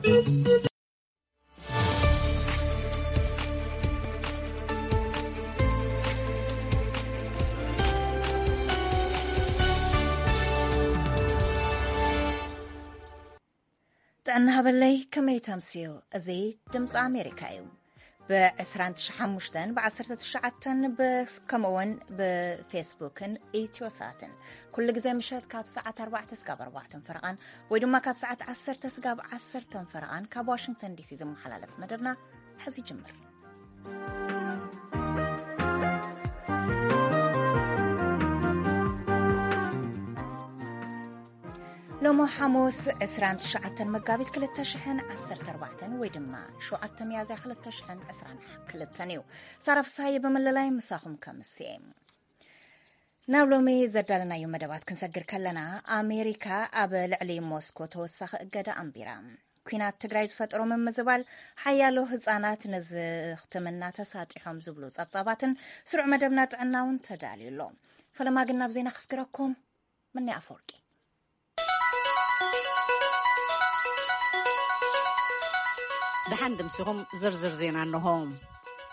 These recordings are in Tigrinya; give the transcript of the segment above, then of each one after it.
ጥዕና ሃበለይ፣ ከመይ ተምስዩ? እዚ ድምፂ ኣሜሪካ እዩ። ብ25 ብ19 ከምኡውን ብፌስቡክን ኢትዮሳትን ኩሉ ግዜ ምሸት ካብ ሰዓት ኣርባዕተ ስጋብ ኣርባዕተን ፈረቓን ወይ ድማ ካብ ሰዓት ዓሰርተ ስጋብ ዓሰርተን ፈረቓን ካብ ዋሽንግተን ዲሲ ዝመሓላለፍ መደብና ሕዚ ይጅምር። ሎሞ ሓሙስ ዕስራን ትሽዓተን መጋቢት ክልተ ሽሕን ዓሰርተ ኣርባዕተን ወይ ድማ ሸውዓተ ሚያዝያ ክልተ ሽሕን ዕስራን ክልተን እዩ። ሳራ ፍስሃየ ብምልላይ ምሳኹም ከምስየ። ናብ ሎሚ ዘዳለናዮ መደባት ክንሰግር ከለና፣ ኣሜሪካ ኣብ ልዕሊ ሞስኮ ተወሳኺ እገዳ ኣንቢራ። ኲናት ትግራይ ዝፈጠሮ ምምዝባል ሓያሎ ህፃናት ንዝኽትምና ተሳጢሖም ዝብሉ ጸብጻባትን ስሩዕ መደብና ጥዕና እውን ተዳልዩ ኣሎ። ፈለማ ግን ናብ ዜና ክስግረኩም። ምኒ ኣፈወርቂ። ደሓን ድምሲኹም ዝርዝር ዜና እንሆ።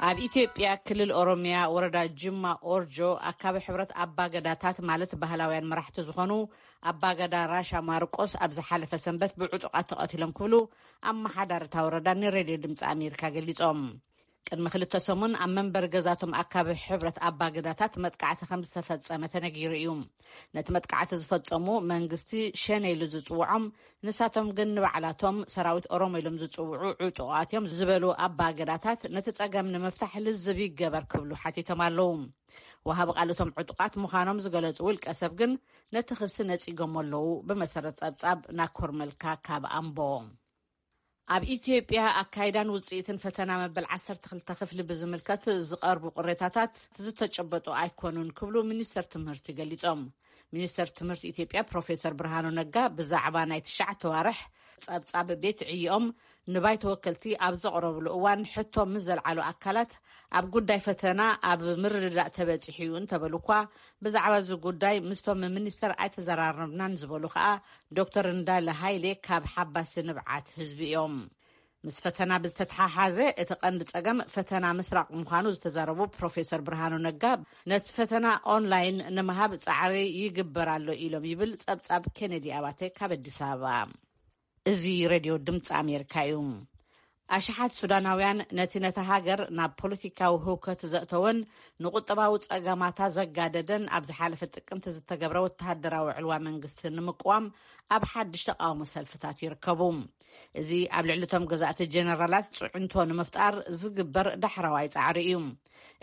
ኣብ ኢትዮጵያ ክልል ኦሮሚያ ወረዳ ጅማ ኦርጆ ኣካቢ ሕብረት ኣባገዳታት ማለት ባህላውያን መራሕቲ ዝኾኑ ኣባገዳ ራሻ ማርቆስ ኣብ ዝሓለፈ ሰንበት ብዕጡቓት ተቐቲሎም ክብሉ ኣመሓዳሪ እታ ወረዳ ንሬድዮ ድምፂ ኣሜሪካ ገሊጾም። ቅድሚ ክልተ ሰሙን ኣብ መንበሪ ገዛቶም ኣካቢ ሕብረት ኣባገዳታት መጥቃዕቲ ከም ዝተፈጸመ ተነጊሩ እዩ። ነቲ መጥቃዕቲ ዝፈጸሙ መንግስቲ ሸኔ ኢሉ ዝጽውዖም፣ ንሳቶም ግን ንባዕላቶም ሰራዊት ኦሮሞ ኢሎም ዝጽውዑ ዕጡቓት እዮም ዝበሉ ኣባገዳታት፣ ነቲ ጸገም ንምፍታሕ ልዝብ ይገበር ክብሉ ሓቲቶም ኣለዉ። ወሃቢ ቃል እቶም ዕጡቓት ምዃኖም ዝገለጹ ውልቀ ሰብ ግን ነቲ ክሲ ነጺጎም ኣለዉ። ብመሰረት ጸብጻብ ናኮር መልካ ካብ ኣምቦ። ኣብ ኢትዮጵያ ኣካይዳን ውጽኢትን ፈተና መበል ዓሰርተ ክልተ ክፍሊ ብዝምልከት ዝቐርቡ ቅሬታታት ዝተጨበጡ ኣይኮኑን ክብሉ ሚኒስተር ትምህርቲ ገሊጾም። ሚኒስተር ትምህርቲ ኢትዮጵያ ፕሮፌሰር ብርሃኑ ነጋ ብዛዕባ ናይ ትሽዓተ ዋርሕ ጸብጻብ ቤት ዕይኦም ንባይቶ ወከልቲ ኣብ ዘቕረብሉ እዋን፣ ሕቶ ምስ ዘልዓሉ ኣካላት ኣብ ጉዳይ ፈተና ኣብ ምርድዳእ ተበጺሑ እዩ እንተበሉ እኳ፣ ብዛዕባ እዚ ጉዳይ ምስቶም ሚኒስተር ኣይተዘራረብናን ዝበሉ ከኣ ዶክተር እንዳለ ሃይሌ ካብ ሓባሲ ንብዓት ህዝቢ እዮም። ምስ ፈተና ብዝተተሓሓዘ እቲ ቀንዲ ጸገም ፈተና ምስራቕ ምዃኑ ዝተዛረቡ ፕሮፌሰር ብርሃኑ ነጋ፣ ነቲ ፈተና ኦንላይን ንምሃብ ጻዕሪ ይግበር ኣሎ ኢሎም ይብል ጸብጻብ ኬኔዲ ኣባተ ካብ ኣዲስ ኣበባ። እዚ ሬድዮ ድምፂ ኣሜሪካ እዩ። ኣሽሓት ሱዳናውያን ነቲ ነታ ሃገር ናብ ፖለቲካዊ ህውከት ዘእተወን ንቁጠባዊ ጸገማታ ዘጋደደን ኣብ ዝሓለፈ ጥቅምቲ ዝተገብረ ወተሃደራዊ ዕልዋ መንግስቲ ንምቅዋም ኣብ ሓድሽ ተቃውሞ ሰልፍታት ይርከቡ። እዚ ኣብ ልዕሊ እቶም ገዛእቲ ጀነራላት ጽዕንቶ ንምፍጣር ዝግበር ዳሕረዋይ ጻዕሪ እዩ።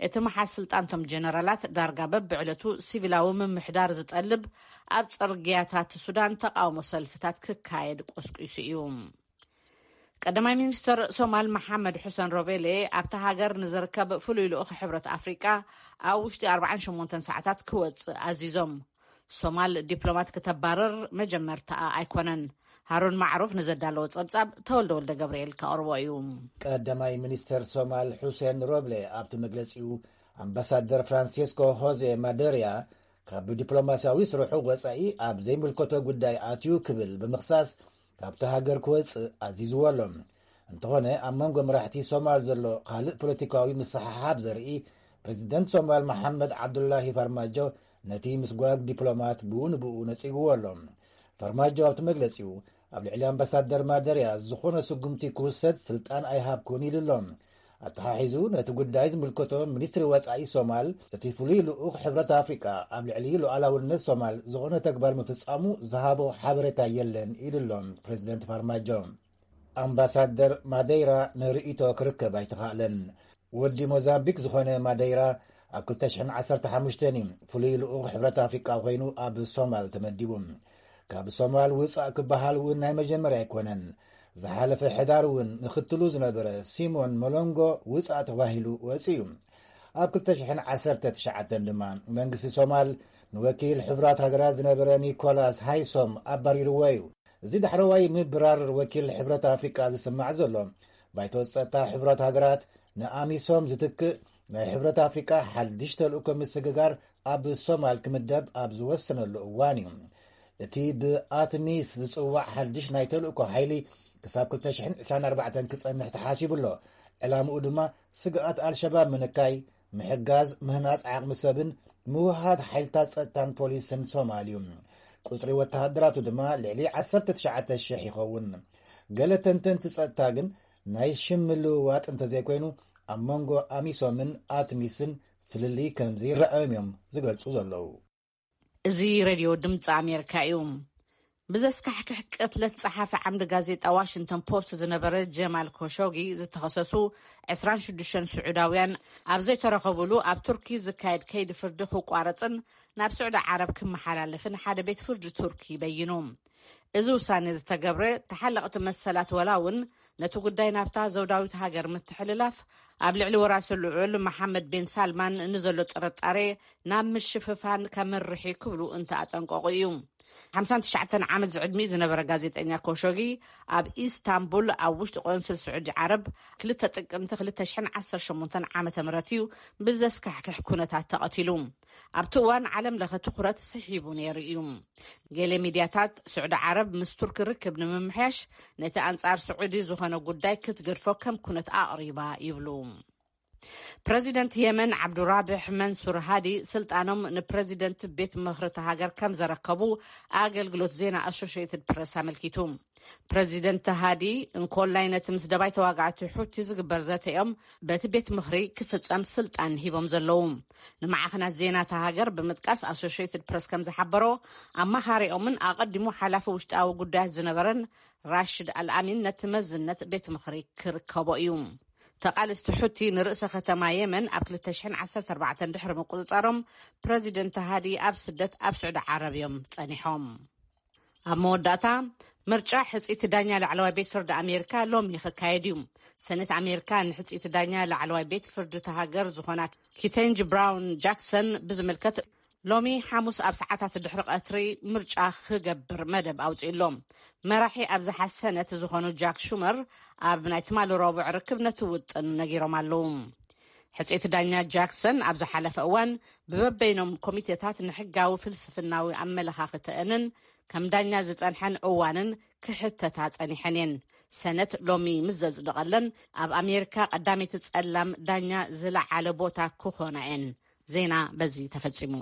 እቲ መሓዝ ስልጣንቶም ጀነራላት ዳርጋ በብዕለቱ ሲቪላዊ ምምሕዳር ዝጠልብ ኣብ ጽርግያታት ሱዳን ተቃውሞ ሰልፍታት ክካየድ ቆስቂሱ እዩ። ቀዳማይ ሚኒስተር ሶማል መሓመድ ሑሰን ሮቤሌ ኣብታ ሃገር ንዝርከብ ፍሉይ ልኡኽ ሕብረት ኣፍሪቃ ኣብ ውሽጢ ኣርባዓን ሸሞንተን ሰዓታት ክወጽእ ኣዚዞም። ሶማል ዲፕሎማት ክተባረር መጀመርታኣ ኣይኮነን። ሃሩን ማዕሩፍ ንዘዳለዎ ጸብጻብ ተወልደ ወልደ ገብርኤል ከቕርቦ እዩ። ቀዳማይ ሚኒስተር ሶማል ሑሴን ሮብሌ ኣብቲ መግለጺኡ፣ ኣምባሳደር ፍራንሲስኮ ሆዜ ማደርያ ካብ ዲፕሎማስያዊ ስርሑ ወጻኢ ኣብ ዘይምልከቶ ጉዳይ ኣትዩ ክብል ብምኽሳስ፣ ካብቲ ሃገር ክወጽእ ኣዚዝዎ ኣሎ። እንተኾነ፣ ኣብ መንጎ መራሕቲ ሶማል ዘሎ ካልእ ፖለቲካዊ ምስሕሓብ ዘርኢ፣ ፕሬዚደንት ሶማል መሓመድ ዓብዱላሂ ፋርማጆ ነቲ ምስጓግ ዲፕሎማት ብኡ ንብኡ ነጺግዎ ኣሎ። ፋርማጆ ኣብቲ መግለጺኡ፣ ኣብ ልዕሊ ኣምባሳደር ማደርያ ዝኾነ ስጉምቲ ክውሰድ ስልጣን ኣይሃብኩን ኢሉ ኣሎ። ኣተሓሒዙ ነቲ ጉዳይ ዝምልከቶ ሚኒስትሪ ወጻኢ ሶማል፣ እቲ ፍሉይ ልኡኽ ሕብረት ኣፍሪቃ ኣብ ልዕሊ ሉዓላውነት ሶማል ዝኾነ ተግባር ምፍጻሙ ዝሃቦ ሓበሬታ የለን ኢሉ ኣሎ ፕሬዚደንት ፋርማጆ። ኣምባሳደር ማደይራ ንርእይቶ ክርከብ ኣይተኻእለን። ወዲ ሞዛምቢክ ዝኾነ ማደይራ ኣብ ክልተ ሽሕን ዓሰርተ ሓሙሽተን እዩ ፍሉይ ልኡኽ ሕብረት ኣፍሪቃ ኮይኑ ኣብ ሶማል ተመዲቡ። ካብ ሶማል ውጻእ ክበሃል እውን ናይ መጀመርያ ኣይኮነን። ዝሓለፈ ሕዳር እውን ምኽትሉ ዝነበረ ሲሞን ሞሎንጎ ውጻእ ተባሂሉ ወጺኡ እዩ። ኣብ ክልተ ሽሕን ዓሰርተ ትሽዓተን ድማ መንግስቲ ሶማል ንወኪል ሕቡራት ሃገራት ዝነበረ ኒኮላስ ሃይሶም ኣባሪርዎ እዩ። እዚ ዳሕረዋይ ምብራር ወኪል ሕብረት ኣፍሪቃ ዝስማዕ ዘሎ፣ ባይቶ ጸጥታ ሕብረት ሃገራት ንኣሚሶም ዝትክእ ናይ ሕብረት ኣፍሪቃ ሓድሽ ተልእኮ ምስግጋር ኣብ ሶማል ክምደብ ኣብ ዝወሰነሉ እዋን እዩ። እቲ ብኣትሚስ ዝጽዋዕ ሓድሽ ናይ ተልእኮ ሓይሊ ክሳብ ክልተ ሽሕን ዕስራን ኣርባዕተን ክጸንሕ ተሓሲቡ ኣሎ። ዕላምኡ ድማ ስግኣት ኣልሸባብ ምንካይ፣ ምሕጋዝ ምህናጽ ዓቕሚ ሰብን ምውሃድ ሓይልታት ጸጥታን ፖሊስን ሶማል እዩ። ቁጽሪ ወተሃደራቱ ድማ ልዕሊ ዓሰርተ ትሽዓተ ሽሕ ይኸውን። ገለ ተንተንቲ ጸጥታ ግን ናይ ሽም ምልውዋጥ እንተዘይኮይኑ ኣብ መንጎ ኣሚሶምን ኣትሚስን ፍልልይ ከምዚ ይረኣዮም እዮም ዝገልጹ ዘለዉ። እዚ ሬድዮ ድምፂ ኣሜሪካ እዩ። ብዘስካሕክሕ ቅትለት ጸሓፊ ዓምዲ ጋዜጣ ዋሽንግተን ፖስት ዝነበረ ጀማል ኮሾጊ ዝተኸሰሱ ዕስራን ሽዱሽተን ስዑዳውያን ኣብ ዘይተረኸቡሉ ኣብ ቱርኪ ዝካየድ ከይዲ ፍርዲ ክቋረፅን ናብ ስዑዲ ዓረብ ክመሓላለፍን ሓደ ቤት ፍርዲ ቱርኪ በይኑ። እዚ ውሳኔ ዝተገብረ ተሓለቕቲ መሰላት ወላ እውን ነቲ ጉዳይ ናብታ ዘውዳዊት ሃገር ምትሕልላፍ ኣብ ልዕሊ ወራሲ ልዑል መሓመድ ቤን ሳልማን ንዘሎ ጥርጣሬ ናብ ምሽፍፋን ከምርሕ ክብሉ እንተኣጠንቀቑ እዩ። ሓምሳን ትሽዓተን ዓመት ዝዕድሚኡ ዝነበረ ጋዜጠኛ ኮሾጊ ኣብ ኢስታንቡል ኣብ ውሽጢ ቆንስል ስዑዲ ዓረብ ክልተ ጥቅምቲ ክልተ ሽሕን ዓሰርተ ሸሞንተን ዓመተ ምህረት እዩ ብዘስካሕክሕ ኩነታት ተቐቲሉ። ኣብቲ እዋን ዓለም ለኸ ትኹረት ስሒቡ ነይሩ እዩ። ገለ ሚድያታት ስዑዲ ዓረብ ምስ ቱርኪ ርክብ ንምምሕያሽ ነቲ ኣንጻር ስዑዲ ዝኾነ ጉዳይ ክትገድፎ ከም ኩነት ኣቕሪባ ይብሉ። ፕረዚደንት የመን ዓብዱራብሕ መንሱር ሃዲ ስልጣኖም ንፕረዚደንት ቤት ምኽሪ እታ ሃገር ከም ዘረከቡ ኣገልግሎት ዜና ኣሶሽየትድ ፕረስ ኣመልኪቱ። ፕረዚደንት ሃዲ እንኮላይ ነቲ ምስ ደባይ ተዋጋዕቲ ሑቲ ዝግበር ዘተ እዮም በቲ ቤት ምኽሪ ክፍጸም ስልጣን ሂቦም ዘለዉ። ንማዕኸናት ዜና እታ ሃገር ብምጥቃስ ኣሶሽየትድ ፕረስ ከም ዝሓበሮ ኣማኻሪኦምን ኣቐዲሙ ሓላፊ ውሽጣዊ ጉዳያት ዝነበረን ራሽድ ኣልኣሚን ነቲ መዝነት ቤት ምኽሪ ክርከቦ እዩ። ተቓልስቲ ሑቲ ንርእሰ ከተማ የመን ኣብ ክልተ ሽሕን ዓሰርተ ኣርባዕተን ድሕሪ ምቁጽጻሮም ፕረዚደንት ሃዲ ኣብ ስደት ኣብ ስዑዲ ዓረብ እዮም ጸኒሖም። ኣብ መወዳእታ ምርጫ ሕጽይቲ ዳኛ ላዕለዋይ ቤት ፍርዲ ኣሜሪካ ሎሚ ክካየድ እዩ። ሰነት ኣሜሪካ ንሕጽይቲ ዳኛ ላዕለዋይ ቤት ፍርዲ እታ ሃገር ዝኾና ኪተንጅ ብራውን ጃክሰን ብዝምልከት ሎሚ ሓሙስ ኣብ ሰዓታት ድሕሪ ቀትሪ ምርጫ ክገብር መደብ ኣውጺኡ ኣሎ። መራሒ ኣብዝሓ ሰነት ዝኾኑ ጃክ ሹመር ኣብ ናይ ትማሊ ረቡዕ ርክብ ነቲ ውጥን ነጊሮም ኣለዉ። ሕጽይቲ ዳኛ ጃክሰን ኣብ ዝሓለፈ እዋን ብበበይኖም ኮሚቴታት ንሕጋዊ ፍልስፍናዊ ኣመለኻኽተአንን ከም ዳኛ ዝጸንሐን እዋንን ክሕተታ ጸኒሐን እየን። ሰነት ሎሚ ምስ ዘጽደቐለን ኣብ ኣሜሪካ ቀዳመይቲ ጸላም ዳኛ ዝለዓለ ቦታ ክኾና እየን። ዜና በዚ ተፈጺሙ።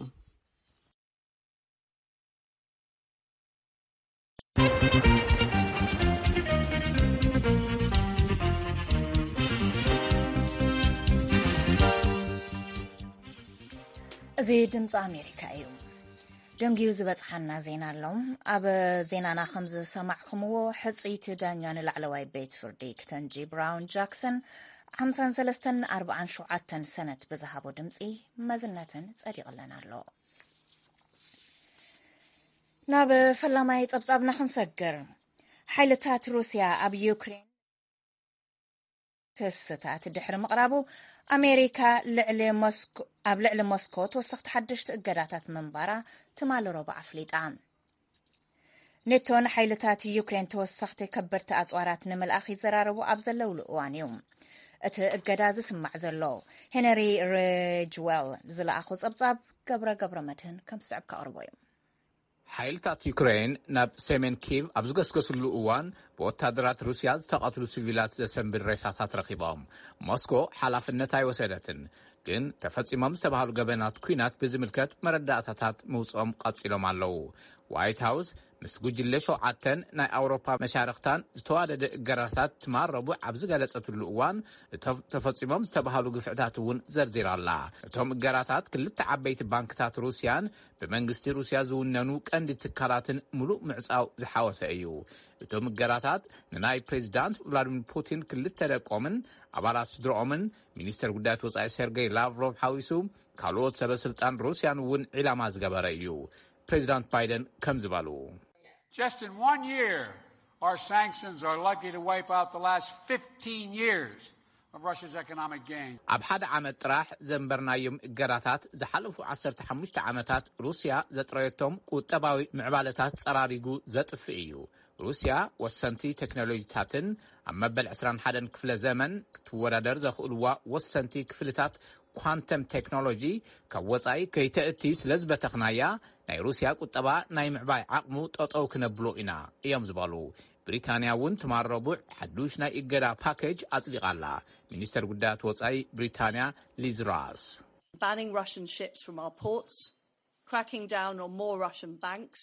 እዚ ድምፂ ኣሜሪካ እዩ። ደንጊዩ ዝበፅሓና ዜና ኣሎ። ኣብ ዜናና ከም ዝሰማዕኩምዎ ሕፅይቲ ዳኛ ንላዕለዋይ ቤት ፍርዲ ክተንጂ ብራውን ጃክሰን ሓምሳን ሰለስተን ኣርባዓን ሸውዓተን ሰነት ብዝሃቦ ድምፂ መዝነተን ፀዲቕለን ኣሎ። ናብ ፈላማይ ጸብጻብና ክንሰግር። ሓይልታት ሩስያ ኣብ ዩክሬን ክስታት ድሕሪ ምቕራቡ ኣሜሪካ ኣብ ልዕሊ ሞስኮ ተወሰኽቲ ሓደሽቲ እገዳታት ምንባራ ትማሊ ረቡዕ ኣፍሊጣ። ኔቶ ንሓይልታት ዩክሬን ተወሰኽቲ ከበድቲ ኣፅዋራት ንምልኣኽ ይዘራረቡ ኣብ ዘለውሉ እዋን እዩ እቲ እገዳ ዝስማዕ ዘሎ። ሄነሪ ሬጅዌል ዝለኣኾ ፀብፃብ ገብረ ገብረ መድህን ከም ዝስዕብ ከቕርቦ እዩ። ሓይልታት ዩክሬን ናብ ሰሜን ኪቭ ኣብ ዝገስገስሉ እዋን ብወታደራት ሩስያ ዝተቐትሉ ሲቪላት ዘሰንብድ ሬሳታት ረኺቦም። ሞስኮ ሓላፍነት ኣይወሰደትን፣ ግን ተፈጺሞም ዝተባህሉ ገበናት ኲናት ብዝምልከት መረዳእታታት ምውፅኦም ቀጺሎም ኣለዉ። ዋይት ሃውስ ምስ ጉጅለ ሸውዓተን ናይ ኣውሮፓ መሻርኽታን ዝተዋደደ እገራታት ትማል ረቡዕ ኣብ ዝገለጸትሉ እዋን፣ እቶም ተፈጺሞም ዝተባህሉ ግፍዕታት እውን ዘርዚራ ኣላ። እቶም እገራታት ክልተ ዓበይቲ ባንክታት ሩስያን ብመንግስቲ ሩስያ ዝውነኑ ቀንዲ ትካላትን ምሉእ ምዕጻው ዝሓወሰ እዩ። እቶም እገራታት ንናይ ፕሬዚዳንት ቭላዲሚር ፑቲን ክልተ ደቆምን ኣባላት ስድረኦምን፣ ሚኒስተር ጉዳያት ወጻኢ ሴርጌይ ላቭሮቭ ሓዊሱ ካልኦት ሰበ ስልጣን ሩስያን እውን ዒላማ ዝገበረ እዩ። ፕሬዚዳንት ባይደን ከም ዝበሉ፣ Just in one year, our sanctions are likely to wipe out the last fifteen years of Russia's economic gain. ኣብ ሓደ ዓመት ጥራሕ ዘንበርናዮም እገራታት ዝሓለፉ ዓሰርተ ሓሙሽተ ዓመታት ሩስያ ዘጥረየቶም ቁጠባዊ ምዕባለታት ጸራሪጉ ዘጥፍእ እዩ። ሩስያ ወሰንቲ ቴክኖሎጂታትን ኣብ መበል ዕስራን ሓደን ክፍለ ዘመን ክትወዳደር ዘኽእልዋ ወሰንቲ ክፍልታት ኳንተም ቴክኖሎጂ ካብ ወጻኢ ከይተእቲ ስለ ዝበተኽናያ፣ ናይ ሩስያ ቁጠባ ናይ ምዕባይ ዓቕሙ ጠጠው ክነብሎ ኢና እዮም ዝበሉ። ብሪታንያ እውን ትማል ረቡዕ ሓዱሽ ናይ እገዳ ፓኬጅ ኣጽዲቓ ኣላ። ሚኒስተር ጉዳያት ወጻኢ ብሪታንያ ሊዝ ራስ። Banning Russian ships from our ports, cracking down on more Russian banks.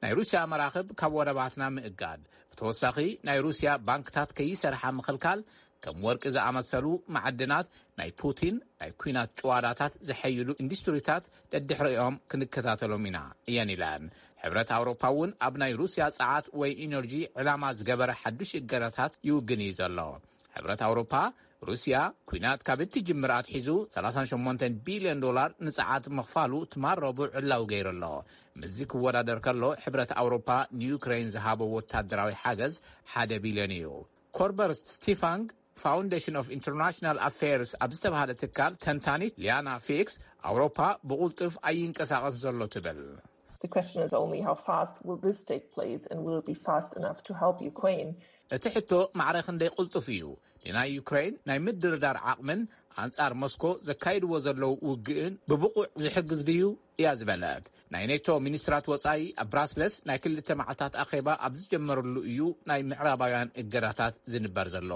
ናይ ሩስያ መራኽብ ካብ ወደባትና ምእጋድ፣ ብተወሳኺ ናይ ሩስያ ባንክታት ከይሰርሓ ምኽልካል፣ ከም ወርቂ ዝኣመሰሉ ማዕድናት ናይ ፑቲን ናይ ኲናት ጭዋዳታት ዘሐይሉ ኢንዱስትሪታት ደድሕሪኦም ክንከታተሎም ኢና እየን ኢለን። ሕብረት ኣውሮፓ እውን ኣብ ናይ ሩስያ ጸዓት ወይ ኢነርጂ ዕላማ ዝገበረ ሓዱሽ እገዳታት ይውግን እዩ ዘሎ። ሕብረት ኣውሮፓ ሩስያ ኲናት ካብ እትጅምር ኣትሒዙ ሰላሳን ሸሞንተን ቢልዮን ዶላር ንጸዓት ምኽፋሉ ትማል ረቡዕ ዕላዊ ገይሩ ኣሎ። ምስዚ ክወዳደር ከሎ ሕብረት ኣውሮፓ ንዩክሬን ዝሃቦ ወታደራዊ ሓገዝ ሓደ ቢልዮን እዩ። ኮርበር ስቲፋንግ ፋውንዴሽን ኦፍ ኢንተርናሽናል ኣፌርስ ኣብ ዝተባሃለ ትካል ተንታኒት ሊያና ፊክስ ኣውሮፓ ብቑልጡፍ ኣይንቀሳቐስ ዘሎ ትብል። The question is only how fast will this take place and will it be fast enough to help Ukraine? እቲ ሕቶ ማዕረ ክንደይ ቅልጡፍ እዩ፣ ንናይ ዩክሬን ናይ ምድርዳር ዓቕምን ኣንጻር ሞስኮ ዘካይድዎ ዘለዉ ውግእን ብብቑዕ ዝሕግዝ ድዩ እያ ዝበለት። ናይ ኔቶ ሚኒስትራት ወጻኢ ኣብ ብራስለስ ናይ ክልተ መዓልታት ኣኼባ ኣብ ዝጀመረሉ እዩ ናይ ምዕራባውያን እገዳታት ዝንበር ዘሎ።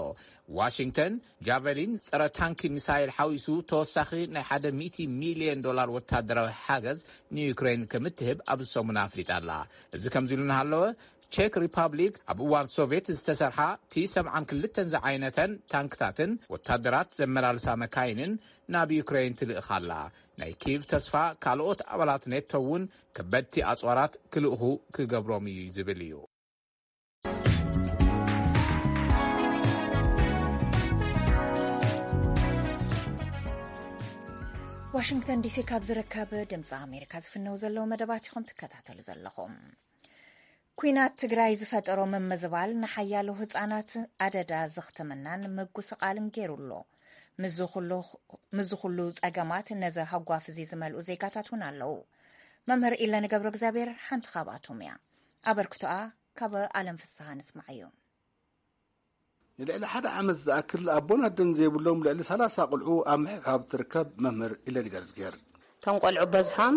ዋሽንግተን ጃቨሊን ጸረ ታንኪ ሚሳይል ሓዊሱ ተወሳኺ ናይ ሓደ ሚእቲ ሚልዮን ዶላር ወታደራዊ ሓገዝ ንዩክሬን ከምትህብ ኣብዚ ሰሙን ኣፍሊጣ ኣላ። እዚ ከምዚ ኢሉ እናሃለወ፣ ቼክ ሪፓብሊክ ኣብ እዋን ሶቪየት ዝተሰርሓ ቲ ሰብዓን ክልተን ዝዓይነተን ታንክታትን ወታደራት ዘመላልሳ መካይንን ናብ ዩክሬን ትልእኽ ኣላ። ናይ ኪቭ ተስፋ ካልኦት ኣባላት ኔቶ እውን ከበድቲ ኣጽዋራት ክልእኹ ክገብሮም እዩ ዝብል እዩ። ዋሽንግተን ዲሲ ካብ ዝርከብ ድምፂ ኣሜሪካ ዝፍነው ዘለዉ መደባት ኢኹም ትከታተሉ ዘለኹም። ኲናት ትግራይ ዝፈጠሮ ምምዝባል ንሓያሎ ህፃናት ኣደዳ ዘኽትምናን ምጉስቓልን ገይሩ ኣሎ። ምስዚ ኩሉ፣ ምስዚ ኩሉ ጸገማት ነዚ ሃጓፍ እዚ ዝመልኡ ዜጋታት እውን ኣለዉ። መምህር ኢለን ገብረ እግዚኣብሔር ሓንቲ ካብኣቶም እያ። ኣበርክቶኣ ካብ ኣለም ፍስሃ ንስማዓዮ። ንልዕሊ ሓደ ዓመት ዝኣክል ኣቦን ኣደን ዘይብሎም ልዕሊ ሰላሳ ቆልዑ ኣብ ምሕብሓብ ትርከብ መምህር ኢለን ገርዝጌር። እቶም ቆልዑ በዝሖም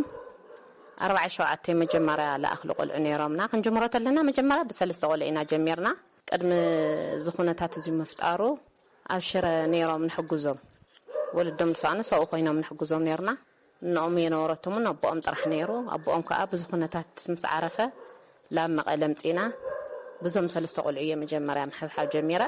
ኣርባዓ ሸውዓተ መጀመርያ ለኣኽሉ ቆልዑ ነይሮምና። ክንጅምሮ ተለና መጀመርያ ብሰለስተ ቆልዑ ኢና ጀሚርና። ቅድሚ እዚ ኩነታት እዚ ምፍጣሩ ኣብ ሽረ ነይሮም ንሕግዞም። ወለዶም ዝሰኣኑ ሰብኡ ኮይኖም ንሕግዞም ነይርና። እኖኦም የነበረቶምን ኣቦኦም ጥራሕ ነይሩ። ኣቦኦም ከዓ ብዙ ኩነታት ምስ ዓረፈ ላብ መቐለ ምፂና። ብዞም ሰለስተ ቆልዑ እየ መጀመርያ ምሕብሓብ ጀሚረ።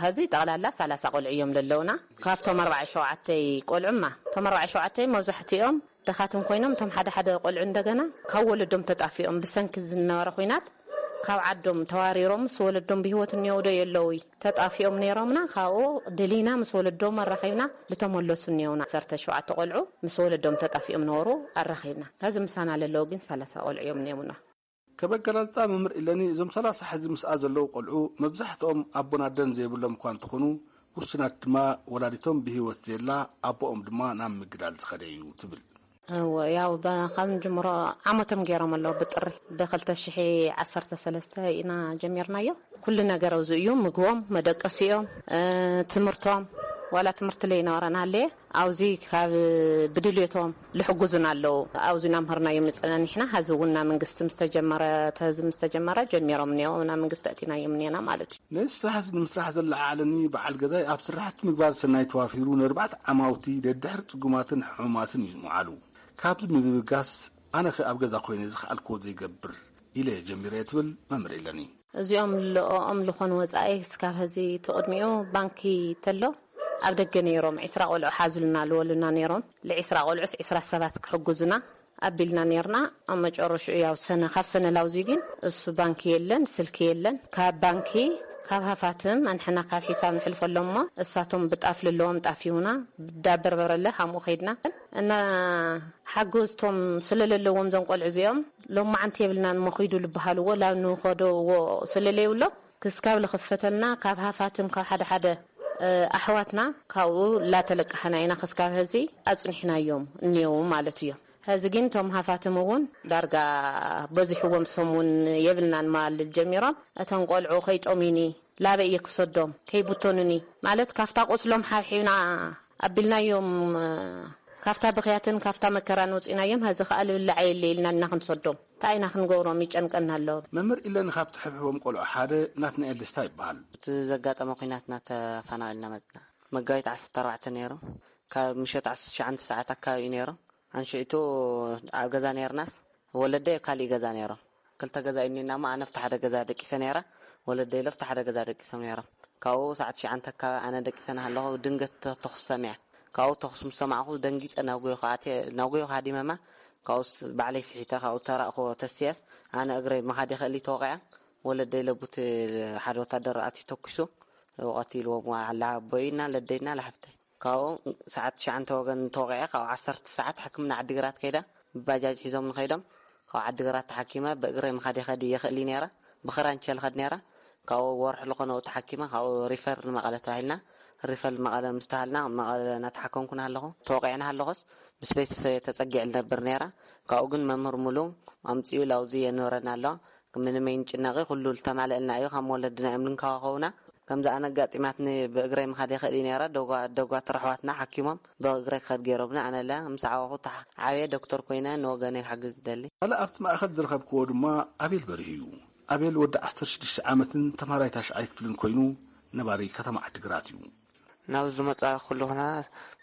ሀዚ ጠቕላላ ሰላሳ ቆልዑ እዮም ለለውና። ካብቶም ኣርባዓ ሸውዓተ ቆልዑማ፣ እቶም ኣርባዓ ሸውዓተ መብዛሕትኦም ደኻትም ኮይኖም፣ እቶም ሓደ ሓደ ቆልዑ እንደገና ካብ ወለዶም ተጣፊኦም ብሰንኪ ዝነበረ ኹናት ካብ ዓዶም ተዋሪሮም ምስ ወለዶም ብህይወት እኒአው ዶ የለውይ ተጣፊኦም ነይሮምና። ካብኡ ደሊና ምስ ወለዶም ኣራኺብና ልተመለሱ እኒአውና። ዓሰርተ ሸውዓተ ቆልዑ ምስ ወለዶም ተጣፊኦም ነበሩ፣ ኣራኺብና። ሀዚ ምሳና ለለዉ ግን ሰላሳ ቆልዑ እዮም እኒኦምና። ከበገላልጣ መምህር ኢለኒ እዞም ሰላሳ ሕዚ ምስኣ ዘለዉ ቆልዑ መብዛሕትኦም ኣቦን ኣደን ዘይብሎም እኳ እንተኾኑ፣ ውሱናት ድማ ወላዲቶም ብህይወት ዘየላ፣ ኣቦኦም ድማ ናብ ምግዳል ዝኸደ እዩ ትብል። እወ፣ ያው በ-፣ ካብ ንጅምሮ ዓመቶም ገይሮም ኣለዉ። ብጥሪ ብክልተ ሽሕ ዓሰርተ ሰለስተ ኢና ጀሚርናዮ። ኩሉ ነገር ኣብዚ እዩ። ምግቦም፣ መደቀሲኦም፣ እ፣ ትምህርቶም፣ ዋላ ትምህርቲ ለይነበረና ኣለየ። ኣብዚ ካብ ብድልየቶም ልሕጉዙና ኣለዉ። ኣብዚ እናምሃርና እዮም ንጸናኒሕና። ሐዚ እውን ናብ መንግስቲ ምስ ተጀመረ፣ እቲ ህዝቢ ምስ ተጀመረ ጀሚሮም እኒኦ፣ ናብ መንግስቲ ኣእቲና እዮም እኒአና ማለት እዩ። ነዚ ስራሕ እዚ ንምስራሕ ዘለዓዓለኒ በዓል ገዛይ ኣብ ስራሕቲ ምግባር ሰናይ ተዋፊሩ ንኣርባዕተ ዓማውቲ ደድሕሪ ጽጉማትን ሕሙማትን እዩ ምውዓሉ። ካብዚ ምብጋስ ኣነኸ ኣብ ገዛ ኮይነ ዝኸኣልክዎ ዘይገብር ኢለ ጀሚረ እየ ትብል መምህር ኢለኒ። እዚኦም ልኦኦም ልኾኑ ወጻኢ ክስካብ ሀዚ እቲ ቅድሚኡ ባንኪ ተሎ ኣብ ደገ ነይሮም ዒስራ ቆልዑ ሓዙልና ልወሉና ነይሮም። ልዒስራ ቆልዑስ ዒስራ ሰባት ክሕጉዙና ኣቢልና ነይርና። ኣብ መጨረሽኡ ያው ሰነ-፣ ካብ ሰነላውዚ ግን እሱ ባንኪ የለን፣ ስልኪ የለን። ካብ ባንኪ፣ ካብ ሃፋትም ኣንሕና ካብ ሒሳብ ንሕልፈሎም እሞ እሳቶም ብጣፍ ልለዎም ጣፍ ይሁና፣ ብዳበርበረለ ሃምኡ ኸይድና እና ሓገዝቶም ስለለለዎም ዘንቆልዑ እዚኦም ሎማዓንቲ የብልናን እሞ ኺዱ ልበሃልዎ ላብ ንኸደዎ ስለለይብሎም ክስካብ ልኽፈተልና ካብ ሃፋትም ካብ ሓደ ሓደ፣ እ፣ ኣሕዋትና ካብኡ ላተለቃሕና ኢና ክስካብ ሀዚ ኣጽኒሕናዮም እኒየው ማለት እዮም። ሀዚ ግን እቶም ሃፋትም እውን ዳርጋ በዚሕዎም ሰሙን የብልናን ማልል ጀሚሮም እቶም ቆልዑ ከይጦሚኒ ላበይ እየ ክሰዶም ከይብተኑኒ ማለት ካብታ ቁስሎም ሓብሒብና ኣቢልናዮም። ካብታ ብኽያትን ካብታ መከራን ወፂናዮም፣ ሀዚ ከዓ ልብላዕ የለ ኢልና እና ክንሰዶም እንታይ ኢና ክንገብሮም? ይጨንቀና ኣሎ። መምህር ኢለን ካብቲ ሕብሕቦም ቆልዑ ሓደ ናትናኤል ደስታ ይበሃል። እቲ ዘጋጠመ ኲናትና ተፈናቒልና መፅና። መጋቢት ዓሰርተ ኣርባዕተ ነይሩ። ካብ ምሸት ዓሰርተ ትሽዓተ ሰዓት ኣካባቢ እዩ ነይሩ። ኣንሽዒቱ ኣብ ገዛ ነይርናስ፣ ወለደይ ኣብ ካሊእ ገዛ ነይሮም። ክልተ ገዛ እዩ እኒና እሞ፣ ኣነ ኣብቲ ሓደ ገዛ ደቂሰ ነይረ፣ ወለደይ ኢለ ኣብቲ ሓደ ገዛ ደቂሶም ነይሮም። ካብኡ ሰዓት ትሽዓተ ኣካባቢ ኣነ ደቂሰ እናሃለኹ ድንገት ተ-፣ ተኹሲ ሰሚዐ። ካብኡ ተኹሲ ምስ ሰማዕኹ ደንጊፀ ናብ ጎይኹ ኣትየ፣ ናብ ጎይኹ ሃዲመማ። ካብኡስ ባዕለይ ስሒተ፣ ካብኡ ተራእኹ ተስየስ፣ ኣነ እግረይ ምኻድ ይኽእል እዩ ተወቂዐ። ወለደይ ኢለ ቡቲ ሓደ ወታደር ኣትዩ ተኩሱ፣ ቀቲልዎም፣ ኣላ ኣቦይና ለደይና ለሓፍተይ። ካብኡ ሰዓት ትሽዓተ ወገን ተወቂዐ፣ ካብኡ ዓሰርተ ሰዓት ሕክምና ዓዲግራት ከይደ፣ ብባጃጅ ሒዞም ንኸይዶም። ካብኡ ዓዲግራት ተሓኪመ፣ ብእግረይ ምኻድ ይኸድ ይኽእል እዩ ነይረ፣ ብኽራንቸ ልኸድ ነይረ። ካብኡ ወርሒ ልኾነ ተሓኪመ፣ ካብኡ ሪፈር ንመቐለ ተባሂልና፣ ሪፈር መቐለ ምስ ተሃልና፣ መቐለ እናተሓከምኩ እናሃለኹ፣ ተወቂዐ እናሃለኹስ፣ ምስ ቤተሰበይ ተጸጊዐ ልነብር ነይረ። ካብኡ ግን መምህር ሙሉ ኣምጺኡ ላውዚ የንብረና ኣሎ። ምንም ኣይንጭነቂ፣ ኩሉ ልተማልአልና እዩ፣ ከም ወለድና እዮም ልንከባኸቡና። ከምዚ ኣነ ኣጋጢማትኒ ብእግረይ ምኻድ ይኽእል እዩ ነይረ። ደጓ-፣ ደጓትር ኣሕዋትና ሓኪሞም ብእግረይ ክኸድ ገይሮምኒ። ኣነ ለ ምስ ዓበኹ ተሓ-፣ ዓብየ ዶክተር ኮይነ ንወገነይ ክሕግዝ ይደሊ። ካልእ ኣብቲ ማእከል ዝረኸብክዎ ድማ ኣቤል በርሂ እዩ። ኣቤል ወዲ ዓሰርተ ሽዱሽተ ዓመትን ተምሃራይ ታሽዓይ ክፍልን ኮይኑ ነባሪ ከተማ ዓዲግራት እዩ። ናብዚ ዝመጻ ኩሉና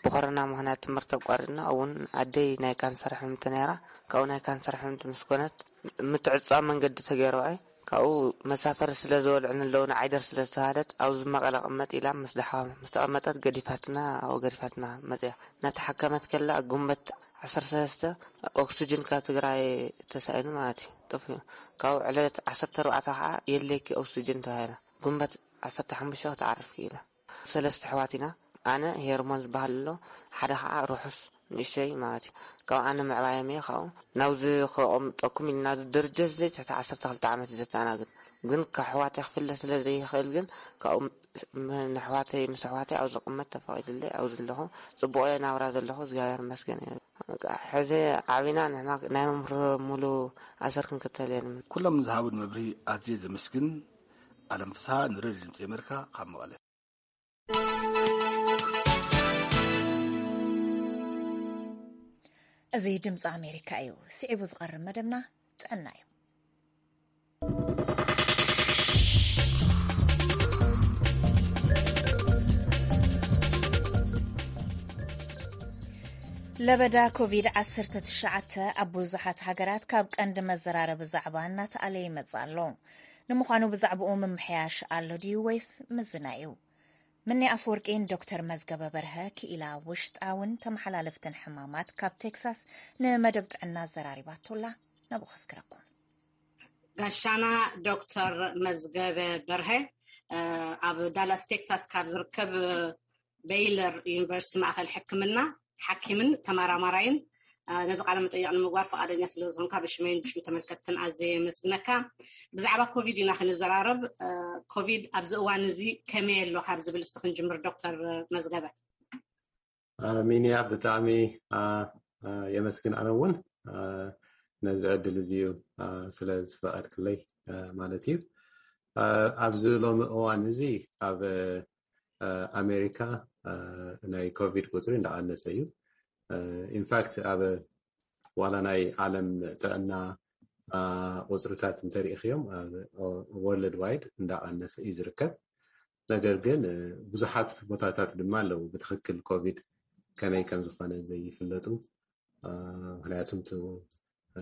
ብኮረና ምኽንያት ትምህርቲ ኣቋሪጽና። እውን ኣደይ ናይ ካንሰር ሕምምቲ ነይራ። ካብኡ ናይ ካንሰር ሕምምቲ ምስ ኮነት ምትዕጻው መንገዲ ተገይርዋ እዩ። ካብኡ መሳፈሪ ስለ ዝበልዑኒ ኣለዉ፣ ንዓይ ደር ስለ ዝተባህለት ኣብዚ መቐለ ቅመጥ ኢላ ምስ ደሓ-፣ ምስ ተቐመጠት ገዲፋትና፣ ኣብኡ ገዲፋትና መጽያ። እናተሓከመት ከላ ጉንበት ዓሰርተ ሰለስተ ኦክስጅን ካብ ትግራይ ተሳኢኑ ማለት እዩ፣ ጠፊኡ። ካብኡ ዕለት ዓሰርተ ኣርባዕተ ከዓ የድልየኪ ኦክስጅን ተባሂላ። ጉንበት ዓሰርተ ሓሙሽተ ክትዓርፍ ክኢላ። ሰለስተ ኣሕዋት ኢና። ኣነ ሄርሞን ዝበሃል ኣሎ፣ ሓደ ኸዓ ርሑስ ንእሽተይ ማለት እዩ። ካብ ኣነ ምዕባዮም እየ፣ ካብኡ ናብዚ ከቐምጠኩም ኢልና፣ ናብዚ ድርጅት እዚ ትሕቲ ዓሰርተ ክልተ ዓመት እዩ ዘተኣናግድ። ግን ካብ ኣሕዋተይ ክፍለ ስለ ዘይኽእል ግን፣ ካብኡ ም-፣ ንኣሕዋተይ፣ ምስ ኣሕዋተይ ኣብ ዝቕመጥ ተፈቒዱለይ፣ ኣብዚ ኣለኹ። ጽቡቕ እየ ናብራ ዘለኹ፣ እግዚኣብሔር ይመስገን እየ። በቃ፣ ሕዚ ዓቢና ንሕና ናይ መምህር ሙሉ ኣሰር ክንክተል እየ ንብል። ኩሎም ንዝሃቡን መብርሂ ኣዝየ ዘመስግን። ኣለም ፍስሃ ንሬድዮ ድምፂ ኣሜሪካ ካብ መቐለ። እዚ ድምፂ ኣሜሪካ እዩ። ስዒቡ ዝቐርብ መደብና ጥዕና እዩ። ለበዳ ኮቪድ ዓሰርተ ትሽዓተ ኣብ ብዙሓት ሃገራት ካብ ቀንዲ መዘራረቢ ዛዕባ እናተኣለ ይመጽእ ኣሎ። ንምዃኑ ብዛዕባኡ ምምሕያሽ ኣሎ ድዩ ወይስ ምዝና እዩ? ምኒ ኣፈወርቂን ዶክተር መዝገበ በርሀ ክኢላ ውሽጣውን ተመሓላለፍትን ሕማማት ካብ ቴክሳስ ንመደብ ጥዕና ኣዘራሪባቶላ። ናብኡ ከስክረኩም። ጋሻና ዶክተር መዝገበ በርሀ፣ እ፣ ኣብ ዳላስ ቴክሳስ ካብ ዝርከብ፣ እ፣ ቤይለር ዩኒቨርሲቲ ማእከል ሕክምና ሓኪምን ተመራማራይን፣ እ፣ ነዚ ቃለ መጠይቕ ንምግባር ፈቓደኛ ስለ ዝኾንካ ብሽመይን ብሽም ተመልከትትን ኣዝየ የመስግነካ። ብዛዕባ ኮቪድ ኢና ክንዘራረብ። እ፣ ኮቪድ ኣብዚ እዋን እዚ ከመይ ኣሎ ካብ ዝብል እስቲ ክንጅምር ዶክተር መዝገበ። አ፣ ሚንያ ብጣዕሚ፣ አ፣ አ፣ የመስግን። ኣነ እውን፣ አ፣ ነዚ ዕድል እዚ እዩ፣ አ፣ ስለ ዝፈቐድክለይ፣ አ፣ ማለት እዩ። አ፣ ኣብዚ ሎሚ እዋን እዚ ኣብ፣ አ፣ ኣሜሪካ፣ አ፣ ናይ ኮቪድ ቁፅሪ እንዳቐነሰ እዩ። አ፣ ኢንፋክት ኣብ ዋላ ናይ ዓለም ጥዕና፣ አ፣ ቁፅርታት እንተሪኢኽዮም፣ አ፣ ወርልድ ዋይድ እንዳቐነሰ እዩ ዝርከብ። ነገር ግን፣ እ፣ ብዙሓት ቦታታት ድማ ኣለዉ ብትኽክል ኮቪድ ከመይ ከም ዝኾነ ዘይፍለጡ። አ፣ ምኽንያቱም እቲ፣ እ፣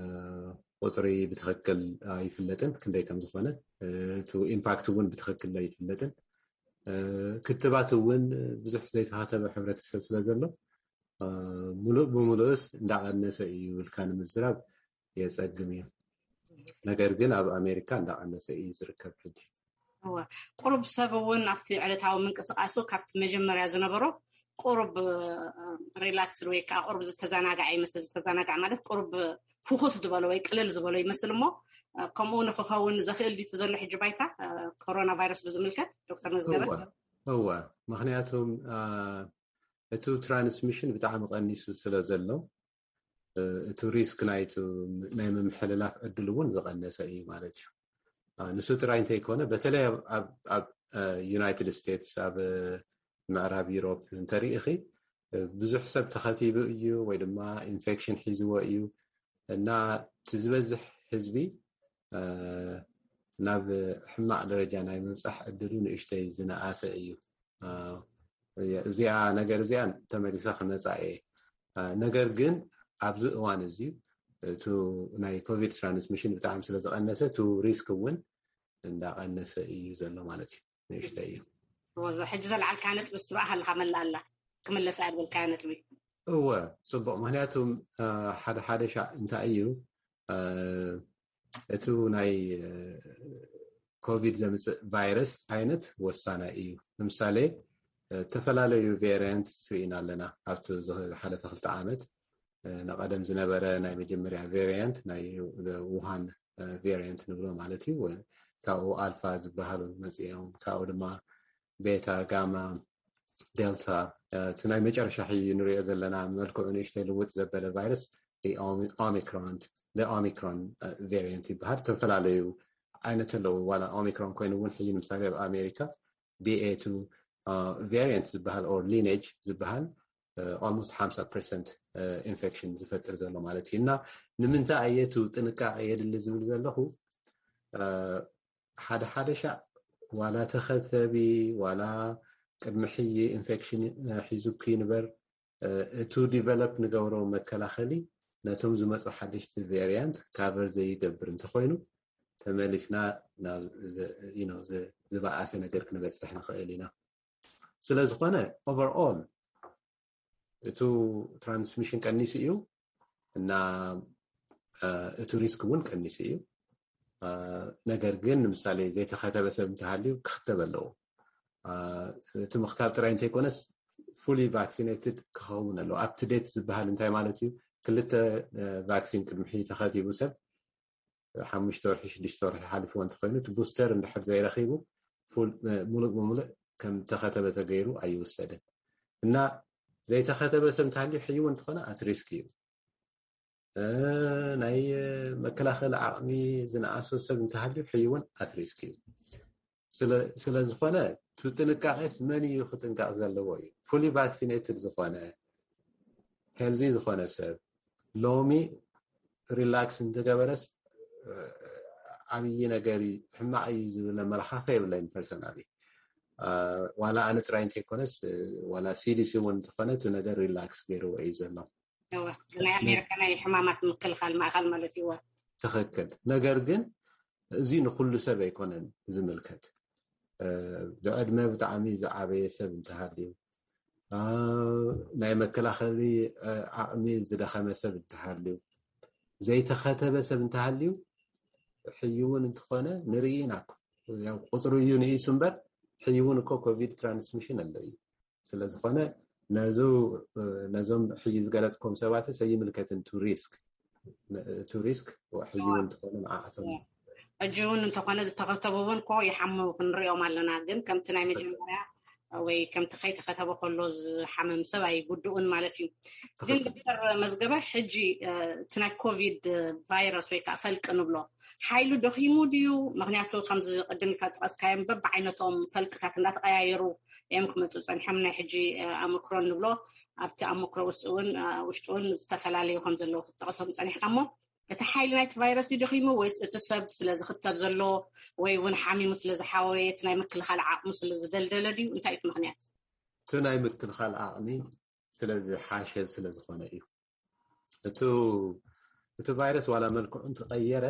ቁፅሪ ብትኽክል ኣይፍለጥን ክንደይ ከም ዝኾነ፣ እ፣ እቲ ኢምፓክት እውን ብትኽክል ኣይፍለጥን። እ፣ ክትባት እውን ብዙሕ ዘይተኸተበ ሕብረተሰብ ስለ ዘሎ፣ እ፣ ሙሉእ ብምሉእስ እንዳቐነሰ እዩ ኢልካ ንምዝራብ የጸግም እዩ። ነገር ግን ኣብ ኣሜሪካ እንዳቐነሰ እዩ ዝርከብ ሕጂ። እወ፣ ቁሩብ ሰብ እውን ኣብቲ ዕለታዊ ምንቅስቃሱ ካብቲ መጀመርያ ዝነበሮ ቁሩብ፣ እ፣ ሪላክስ ወይ ከዓ ቁሩብ ዝተዘናግዐ ይመስል። ዝተዘናግዐ ማለት ቁሩብ ፍኹስ ዝበሎ ወይ ቅልል ዝበሎ ይመስል እሞ፣ እ፣ ከምኡ ንክኸውን ዘኽእል ድዩ እቲ ዘሎ ሕጂ ባይታ፣ እ፣ ኮሮና ቫይረስ ብዝምልከት ዶክተር መዝገበ? እወ፣ እወ። ምኽንያቱም፣ እ፣ እቲ ትራንስሚሽን ብጣዕሚ ቀኒሱ ስለ ዘሎ፣ እ፣ እቲ ሪስክ ናይቲ ናይ ምምሕልላፍ ዕድል እውን ዝቐነሰ እዩ ማለት እዩ። እ፣ ንሱ ጥራይ እንተይኮነ፣ በተለይ ኣብ፣ ኣብ፣ ኣብ፣ እ፣ ዩናይትድ ስቴትስ፣ ኣብ፣ እ፣ ምዕራብ ዩሮፕ እንተሪኢኺ፣ ብዙሕ ሰብ ተኸቲቡ እዩ ወይ ድማ ኢንፌክሽን ሒዝዎ እዩ እና እቲ ዝበዝሕ ህዝቢ ናብ ሕማቕ ደረጃ ናይ ምብፃሕ እድሉ ንእሽተይ ዝነኣሰ እዩ። እዚኣ ነገር እዚኣ ተመሊሳ ክመፃ እየ። ነገር ግን ኣብዚ እዋን እዚ እቲ ናይ ኮቪድ ትራንስሚሽን ብጣዕሚ ስለ ዝቐነሰ እቲ ሪስክ እውን እንዳቐነሰ እዩ ዘሎ ማለት እዩ። ንእሽተይ እዩ። ሕጂ ዘልዓልካ ነጥቢ ስትባእ ሃልካ መላ ኣላ ክምለስ ኣድበልካያ ነጥቢ። እወ፣ ፅቡቕ። ምክንያቱ ሓደ ሓደ ሻዕ እንታይ እዩ እቲ ናይ ኮቪድ ዘምፅእ ቫይረስ ዓይነት ወሳናይ እዩ። ንምሳሌ ዝተፈላለዩ ቬሪያንት ርኢና ኣለና ኣብቲ ዝሓለፈ ክልተ ዓመት። ንቐደም ዝነበረ ናይ መጀመርያ ቬሪያንት ናይ ውሃን ቬሪያንት ንብሎ ማለት እዩ። ካብኡ ኣልፋ ዝበሃሉ መፅኦም፣ ካብኡ ድማ ቤታ፣ ጋማ፣ ዴልታ፣ እቲ ናይ መጨረሻ ሕዩ ንሪኦ ዘለና መልክዑ ንእሽተይ ልውጥ ዘበለ ቫይረስ ኦሚክሮን ኦሚክሮን ቬሪያንት ይበሃል። ዝተፈላለዩ ዓይነት ኣለዉ። ዋላ ኦሚክሮን ኮይኑ እውን ሕዩ ንምሳሌ ኣብ ኣሜሪካ ቢኤ ቱ ቬሪያንት ዝበሃል ኦር ሊኔጅ ዝበሃል ኦልሞስት ሓምሳ ፐርሰንት ኢንፌክሽን ዝፈጥር ዘሎ ማለት እዩ። እና ንምንታይ ኣየቱ ጥንቃቄ የድሊ ዝብል ዘለኹ ሓደ ሓደ ሻዕ ዋላ ተኸተቢ ዋላ ቅድሚ ሕይ ኢንፌክሽን ሒዙኪ ንበር እቱ ዲቨሎፕ ንገብሮ መከላኸሊ ነቶም ዝመፁ ሓደሽቲ ቬሪያንት ካቨር ዘይገብር እንተኮይኑ ተመሊስና ናብ ዝበኣሰ ነገር ክንበፅሕ ንኽእል ኢና። ስለዝኾነ ኦቨርኦል እቱ ትራንስሚሽን ቀኒሱ እዩ እና እቱ ሪስክ እውን ቀኒሱ እዩ። ነገር ግን ንምሳሌ ዘይተኸተበ ሰብ እንተሃልዩ ክኽተብ ኣለዎ። እቲ ምኽታብ ጥራይ እንተይኮነስ ፉሊ ቫክሲኔትድ ክኸውን ኣለዎ። ኣፕ ቱ ዴት ዝበሃል እንታይ ማለት እዩ? ክልተ ቫክሲን ቅድሚ ሕጂ ተኸቲቡ ሰብ ሓሙሽተ ወርሒ ሽዱሽተ ወርሒ ሓሊፍዎ እንተኮይኑ እቲ ቡስተር እንድሕር ዘይረኺቡ ሙሉእ ብሙሉእ ከም ተኸተበ ተገይሩ ኣይውሰድን እና ዘይተኸተበ ሰብ እንተሃልዩ ሕይው እንተኾነ ኣት ሪስክ እዩ። ናይ መከላኸሊ ዓቕሚ ዝነኣሶ ሰብ እንተሃልዩ ሕይውን ኣት ሪስክ እዩ። ስለዝኾነ እቲ ጥንቃቄስ መን እዩ ክጥንቀቕ ዘለዎ እዩ። ፉሊ ቫክሲኔትድ ዝኾነ ሄልዚ ዝኾነ ሰብ ሎሚ ሪላክስ እንተገበረስ ዓብዪ ነገር ሕማቕ እዩ ዝብል ኣመለኻኸ የብለይን ፐርሰናሊ። ዋላ ኣነ ጥራይ እንተይኮነስ ዋላ ሲዲሲ እውን እንተኾነ እቲ ነገር ሪላክስ ገይርዎ እዩ ዘሎ። ናይ ኣሜሪካ ናይ ሕማማት ምክልኻል ማእኸል ማለት እዩ። ትኽክል። ነገር ግን እዚ ንኩሉ ሰብ ኣይኮነን ዝምልከት። ብዕድመ ብጣዕሚ ዝዓበየ ሰብ እንተሃልዩ፣ ናይ መከላኸሊ ዓቕሚ ዝደኸመ ሰብ እንተሃልዩ፣ ዘይተኸተበ ሰብ እንተሃልዩ ሕይውን እንተኾነ ንርኢ ኢና። ቁፅሩ እዩ ንኢሱ እምበር ሕይውን እኮ ኮቪድ ትራንስሚሽን ኣሎ እዩ። ስለዝኾነ ነዞም ሕጂ ዝገለፅኩም ሰባትስ ኣይምልከትን። ቱ ሪስክ ቱ ሪስክ ሕጂ እውን እንተኾነ ንዓኣቶም ሕጂ እውን እንተኾነ ዝተኸተቡ እውን ኮ ይሓሙ ክንሪኦም ኣለና። ግን ከምቲ ናይ መጀመርያ ወይ ከምቲ ከይተኸተበ ከሎ ዝሓምም ሰብ ኣይጉድኡን ማለት እዩ። ግን ዶክተር መዝገበ፣ ሕጂ እቲ ናይ ኮቪድ ቫይረስ ወይ ከዓ ፈልቂ ንብሎ ሓይሉ ደኺሙ ድዩ? ምክንያቱ ከምዚ ቅድም ኢልካ ዝጠቀስካዮ በብዓይነቶም ፈልቅታት እንዳተቀያየሩ እዮም ክመፁ ፀኒሖም። ናይ ሕጂ ኣምክሮን ንብሎ ኣብቲ ኣምክሮ ውስጥ እውን ውሽጡ እውን ዝተፈላለዩ ከም ዘለዉ ክትጠቀሶም ፀኒሕካ እሞ እቲ ሓይሊ ናይቲ ቫይረስ ድዩ ደኺሙ ወይስ እቲ ሰብ ስለ ዝኽተብ ዘሎ ወይ እውን ሓሚሙ ስለ ዝሓወየ እቲ ናይ ምክልኻል ዓቕሙ ስለ ዝደልደለ ድዩ? እንታይ እቲ ምክንያት? እቲ ናይ ምክልኻል ዓቕሚ ስለ ዝሓሸ ስለ ዝኾነ እዩ። እቱ እቲ ቫይረስ ዋላ መልክዑ እንተቀየረ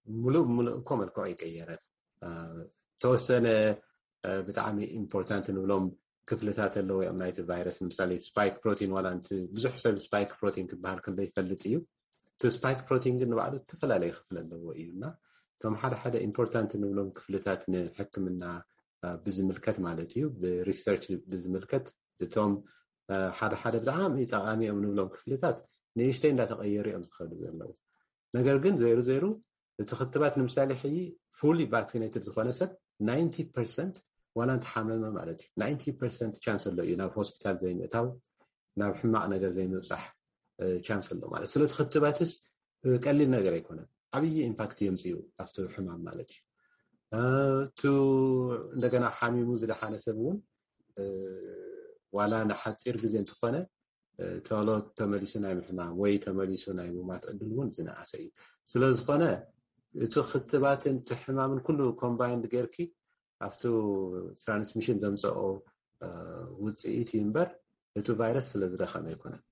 ሙሉእ ብሙሉእ እኮ መልክዑ ኣይቀየረን። ተወሰነ ብጣዕሚ ኢምፖርታንት ንብሎም ክፍልታት ኣለዎ እዮም ናይቲ ቫይረስ። ንምሳሌ ስፓይክ ፕሮቲን ዋላ ንቲ ብዙሕ ሰብ ስፓይክ ፕሮቲን ክበሃል ክንዶ ይፈልጥ እዩ። እቲ ስፓይክ ፕሮቲን ግን ንባዕሉ ዝተፈላለዩ ክፍል ኣለዎ እዩ እና እቶም ሓደ ሓደ ኢምፖርታንት ንብሎም ክፍልታት ንሕክምና ብዝምልከት ማለት እዩ ብሪሰርች ብዝምልከት እቶም ሓደ ሓደ ብጣዕሚ ጠቃሚ እዮም ንብሎም ክፍልታት ንእሽተይ እንዳተቀየሩ እዮም ዝኸዱ ዘለዉ። ነገር ግን ዘይሩ ዘይሩ እቲ ክትባት ንምሳሌ ሕጂ ፉሊ ቫክሲኔትድ ዝኾነ ሰብ ናይንቲ ፐርሰንት ዋላ እንተሓመመ ማለት እዩ ናይንቲ ፐርሰንት ቻንስ ኣሎ እዩ ናብ ሆስፒታል ዘይምእታው ናብ ሕማቕ ነገር ዘይምብፃሕ ቻንስ ኣሎ ማለት። ስለዚ ክትባትስ ቀሊል ነገር ኣይኮነን። ዓብዪ ኢምፓክት የምፅኡ ኣብቲ ሕማም ማለት እዩ። ቱ እንደገና ሓሚሙ ዝደሓነ ሰብ እውን ዋላ ንሓፂር ግዜ እንተኾነ፣ እ፣ ቶሎ ተመሊሱ ናይ ምሕማም ወይ ተመሊሱ ናይ ምማት ዕድል እውን ዝነኣሰ እዩ። ስለ ዝኾነ እቲ ክትባትን እቲ ሕማምን ኩሉ ኮምባይንድ ጌርኪ ኣብቲ ትራንስሚሽን ዘምፀኦ፣ እ፣ ውፅኢት እዩ እምበር እቲ ቫይረስ ስለ ዝደኸመ ኣይኮነን።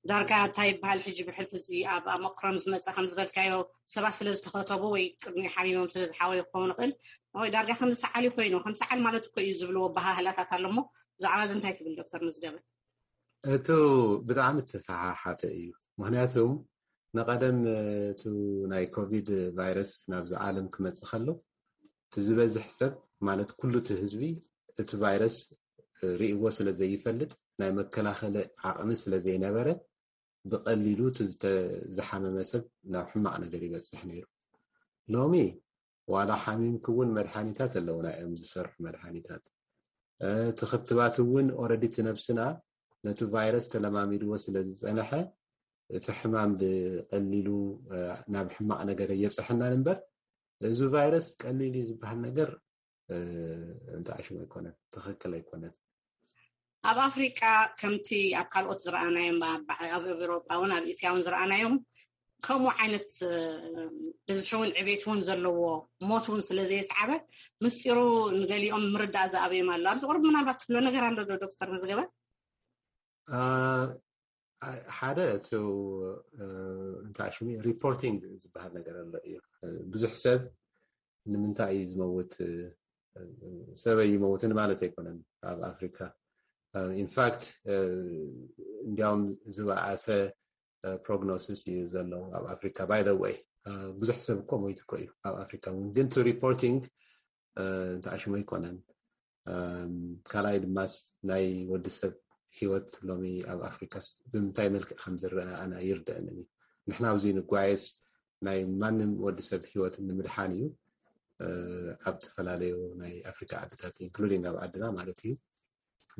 ዳርጋ እንታይ ይበሃል ሕጂ ብሕልፊ እዚ ኣብ ኦሚክሮን ዝመፀ ከም ዝበልካዮ ሰባት ስለ ዝተኸተቡ ወይ ቅድሚ ሓሚሞም ስለ ዝሓወዩ ክኸውን ይኽእል ወይ ዳርጋ ከም ዝሰዓል ኮይኑ ከም ሰዓል ማለት እኮ እዩ ዝብልዎ ኣበሃህላታት ኣሎ እሞ ብዛዕባ እዚ እንታይ ትብል ዶክተር መዝገበ? እቱ ብጣዕሚ ተሰሓሓተ እዩ። ምክንያቱም ንቐደም እቱ ናይ ኮቪድ ቫይረስ ናብዚ ዓለም ክመፅእ ከሎ እቲ ዝበዝሕ ሰብ ማለት ኩሉ እቲ ህዝቢ እቲ ቫይረስ ርእይዎ ስለ ዘይፈልጥ ናይ መከላኸሊ ዓቕሚ ስለ ዘይነበረ ብቐሊሉ እቲ ዝተ- ዝሓመመ ሰብ ናብ ሕማቕ ነገር ይበፅሕ ነይሩ። ሎሚ ዋላ ሓሚምኪ እውን መድሓኒታት ኣለውና እዮም ዝሰርሑ መድሓኒታት። እ፣ እቲ ክትባት እውን ኦረዲ እቲ ነብስና ነቲ ቫይረስ ተለማሚድዎ ስለ ዝፀንሐ እቲ ሕማም ብቐሊሉ፣ እ፣ ናብ ሕማቕ ነገር የብፅሐናን እምበር እዚ ቫይረስ ቀሊል እዩ ዝበሃል ነገር፣ እ፣ እንተኣሽሙ ኣይኮነን፣ ትኽክል ኣይኮነን። ኣብ ኣፍሪቃ ከምቲ ኣብ ካልኦት ዝረኣናዮም ኣብ ኣብ ኤውሮጳ እውን ኣብ እስያ እውን ዝረኣናዮም ከምኡ ዓይነት እ፣ ብዝሒ እውን ዕቤት እውን ዘለዎ ሞት እውን ስለ ዘየስዓበ ምስጢሩ ንገሊኦም ምርዳእ ዝኣበዮም ኣሎ። ኣብዚ ቁሩብ ምናልባት ትብሎ ነገር ኣሎ ዶ ዶክተር መዝገበ? አ፣ ሓደ እቲ፣ እ፣ እንታይ ሽሙ ሪፖርቲንግ ዝበሃል ነገር ኣሎ እዩ። እ፣ ብዙሕ ሰብ ንምንታይ እዩ ዝመውት? እ፣ ሰበይ ይመውትን ማለት ኣይኮነን ኣብ ኣፍሪካ። ኢንፋክት እንዲያውም ዝበኣሰ ፕሮግኖሲስ እዩ ዘሎ ኣብ ኣፍሪካ። ባይ ዘ ወይ ብዙሕ ሰብ እኮ ሞይቱ እኮ እዩ ኣብ ኣፍሪካ እውን፣ ግን ቱ ሪፖርቲንግ ተኣሽሞ ኣይኮነን። ካልኣይ ድማስ ናይ ወዲ ሰብ ህይወት ሎሚ ኣብ ኣፍሪካስ ብምንታይ መልክዕ ከም ዝረአ ኣነ ይርደአንን እዩ። ንሕና ኣብዚ ንጓየስ ናይ ማንም ወዲ ሰብ ህይወት ንምድሓን እዩ። ኣብ ዝተፈላለዩ ናይ ኣፍሪካ ዓድታት ኢንክሉዲንግ ኣብ ዓድና ማለት እዩ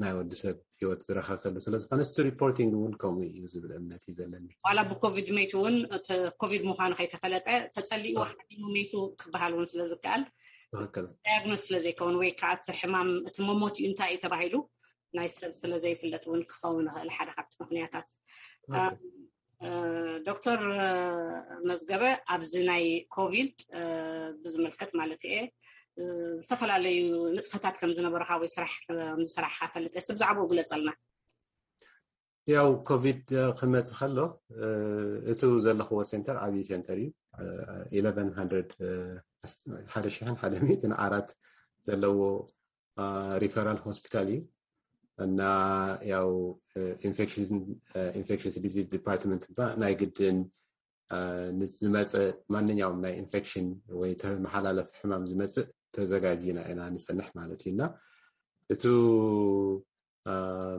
ናይ ወዲ ሰብ ህይወት ዝረኸሰሉ ስለ ዝኾነ እቲ ሪፖርቲንግ እውን ከምኡ እዩ ዝብል እምነት እዩ ዘለኒ። ዋላ ብኮቪድ መይቱ እውን እቲ ኮቪድ ምዃኑ ከይተፈለጠ ተፀሊኡ ሓሚሙ መይቱ ክበሃል እውን ስለ ዝከኣል ትክክል። ዳያግኖስ ስለ ዘይከውን ወይ ከዓ እቲ ሕማም እቲ መሞት እዩ እንታይ እዩ ተባሂሉ ናይ ሰብ ስለ ዘይፍለጥ እውን ክኸውን ይኽእል ሓደ ካብቲ ምክንያታት። ዶክተር መዝገበ ኣብዚ ናይ ኮቪድ ብዝምልከት ማለት እየ ዝተፈላለዩ ንጥፈታት ከም ዝነበረካ ወይ ስራሕ ከም ዝሰራሕካ ፈልጥ ስ ብዛዕባኡ ግለፀልና። ያው ኮቪድ ክመፅ ከሎ እቱ ዘለኽዎ ሴንተር ዓብዪ ሴንተር እዩ። ኢለቨን ሃንድረድ ሓደ ሽሕን ሓደ ሚእትን ዓራት ዘለዎ ሪፈራል ሆስፒታል እዩ እና ያው ኢንፌክሽስ ዲዚዝ ዲፓርትመንት ባ ናይ ግድን ንዝመፀ ማንኛውም ናይ ኢንፌክሽን ወይ ተመሓላለፊ ሕማም ዝመፅእ ተዘጋጅና ኢና ንፀንሕ ማለት እዩ እና እቱ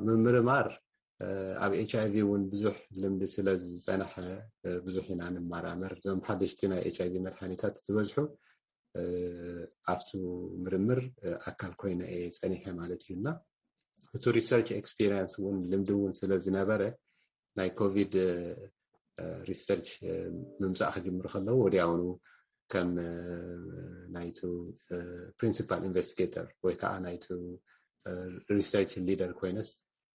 ምምርማር ኣብ ኤች ኣይቪ እውን ብዙሕ ልምዲ ስለ ዝፀናሐ ብዙሕ ኢና ንመራመር። እዞም ሓደሽቲ ናይ ኤች ኣይቪ መድሓኒታት ዝበዝሑ ኣብቱ ምርምር ኣካል ኮይነ እየ ፀኒሐ ማለት እዩ እና እቲ ሪሰርች ኤክስፒሪንስ እውን ልምዲ እውን ስለ ዝነበረ ናይ ኮቪድ ሪሰርች ምምፃእ ክጅምሩ ከለዉ ወዲያውኑ ከም ናይቱ ፕሪንሲፓል ኢንቨስቲጌተር ወይ ከዓ ናይቱ ሪሰርች ሊደር ኮይነስ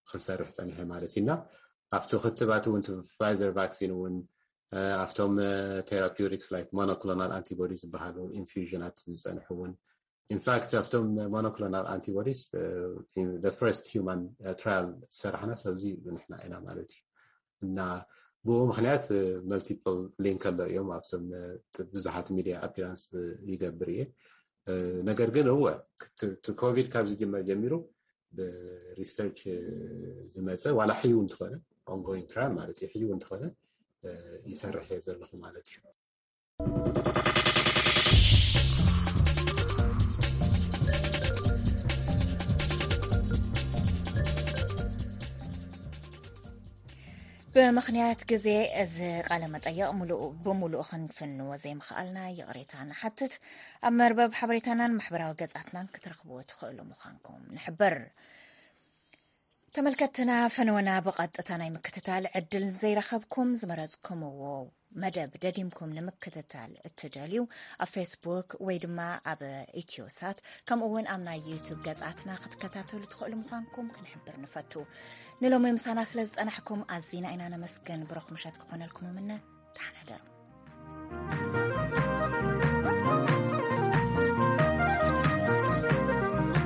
ክሰርሕ ፀኒሐ ማለት እዩ እና ኣብቲ ክትባት እውን ፋይዘር ቫክሲን እውን ኣብቶም ቴራፒውቲክስ ላይክ ሞኖክሎናል ኣንቲቦዲ ዝበሃሉ ኢንፊዥናት ዝፀንሑ እውን ኢንፋክት ኣብቶም ሞኖክሎናል ኣንቲቦዲስ ፈርስት ሂማን ትራያል ዝሰራሕና ሰብዚ ንሕና ኢና ማለት እዩ እና ብኡ ምክንያት መልቲፕል ሊንክ ኣሎ እዮም ኣብቶም ብዙሓት ሚዲያ ኣፒራንስ ይገብር እየ። ነገር ግን እወ ኮቪድ ካብ ዝጅመር ጀሚሩ ብሪሰርች ዝመፀ ዋላ ሕዩ እንትኾነ ኦንጎይንግ ትራያል ማለት እዩ ሕዩ እንትኾነ ይሰርሕ እየ ዘለኹ ማለት እዩ። ብምኽንያት ግዜ እዚ ቃለ መጠይቕ ሙሉእ ብሙሉእ ክንፍንዎ ዘይምኽኣልና ይቕሬታ ንሓትት። ኣብ መርበብ ሓበሬታናን ማሕበራዊ ገጻትናን ክትረኽብዎ ትኽእሉ ምዃንኩም ንሕብር። ተመልከትና ፈነወና ብቐጥታ ናይ ምክትታል ዕድል ዘይረኸብኩም ዝመረጽኩምዎ መደብ ደጊምኩም ንምክትታል እትደልዩ፣ ኣብ ፌስቡክ ወይ ድማ ኣብ ኢትዮሳት፣ ከምኡ እውን ኣብ ናይ ዩቱብ ገጻትና ክትከታተሉ ትኽእሉ ምዃንኩም ክንሕብር ንፈቱ። ንሎሚ ምሳና ስለ ዝጸናሕኩም ኣዚና ኢና ነመስግን። ብሩኽ ምሸት ክኾነልኩም እምነ። ደሓን ሕደሩ።